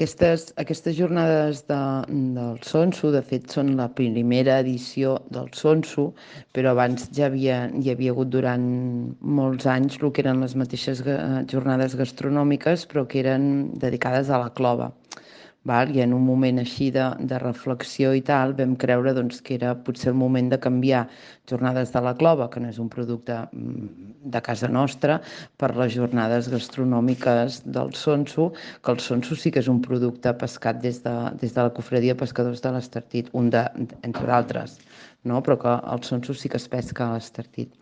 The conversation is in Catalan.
Aquestes jornades del Sonso, de fet, són la primera edició del Sonso, però abans hi havia hagut durant molts anys el que eren les mateixes jornades gastronòmiques, però que eren dedicades a la clova. Val? I en un moment així de reflexió i tal, vam creure doncs, que era potser el moment de canviar jornades de la clova, que no és un producte de casa nostra, per les jornades gastronòmiques del Sonso, que el Sonso sí que és un producte pescat des de la Cofradia de Pescadors de l'Estartit, entre d'altres, no? Però que el Sonso sí que es pesca a l'Estartit.